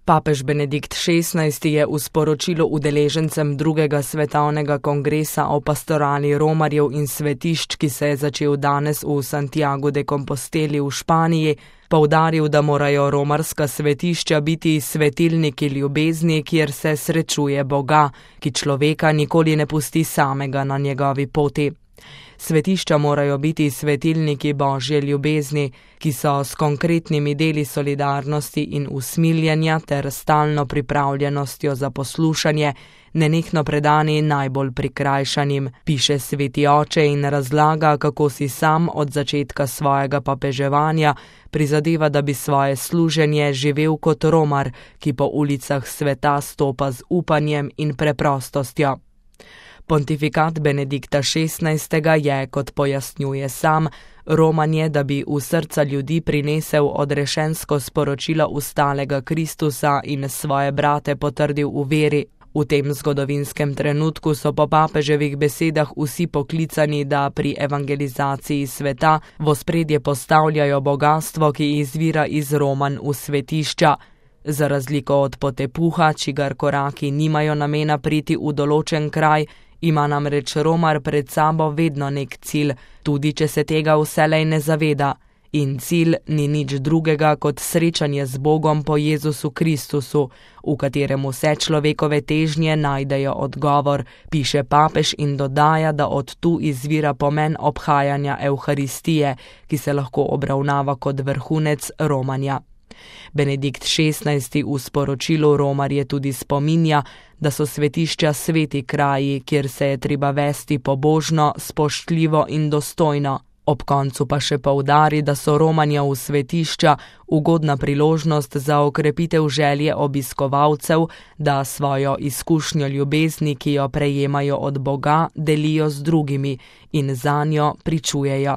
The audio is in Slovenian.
Papež Benedikt XVI. Je v sporočilu udeležencem drugega svetovnega kongresa o pastorali romarjev in svetišč, ki se je začel danes v Santiagu de Composteli v Španiji, poudaril, da morajo romarska svetišča biti svetilniki ljubezni, kjer se srečuje Boga, ki človeka nikoli ne pusti samega na njegovi poti. Svetišča morajo biti svetilniki Božje ljubezni, ki so s konkretnimi deli solidarnosti in usmiljenja ter stalno pripravljenostjo za poslušanje nenehno predani najbolj prikrajšanim, piše sveti oče in razlaga, kako si sam od začetka svojega papeževanja prizadeva, da bi svoje služenje živel kot romar, ki po ulicah sveta stopa z upanjem in preprostostjo. Pontifikat Benedikta XVI. Je, kot pojasnjuje sam, romanje, da bi v srca ljudi prinesel odrešensko sporočilo ustalega Kristusa in svoje brate potrdil v veri. V tem zgodovinskem trenutku so po papeževih besedah vsi poklicani, da pri evangelizaciji sveta v ospredje postavljajo bogastvo, ki izvira iz romanj v svetišča. Za razliko od potepuha, čigar koraki nimajo namena priti v določen kraj, ima namreč romar pred sabo vedno nek cilj, tudi če se tega vselej ne zaveda. In cilj ni nič drugega kot srečanje z Bogom po Jezusu Kristusu, v katerem vse človekove težnje najdejo odgovor, piše papež in dodaja, da od tu izvira pomen obhajanja Evharistije, ki se lahko obravnava kot vrhunec romanja. Benedikt XVI. V sporočilu romarje tudi spominja, da so svetišča sveti kraji, kjer se je treba vesti pobožno, spoštljivo in dostojno. Ob koncu pa še poudari, da so romanja v svetišča ugodna priložnost za okrepitev želje obiskovalcev, da svojo izkušnjo ljubezni, ki jo prejemajo od Boga, delijo z drugimi in zanjo pričujejo.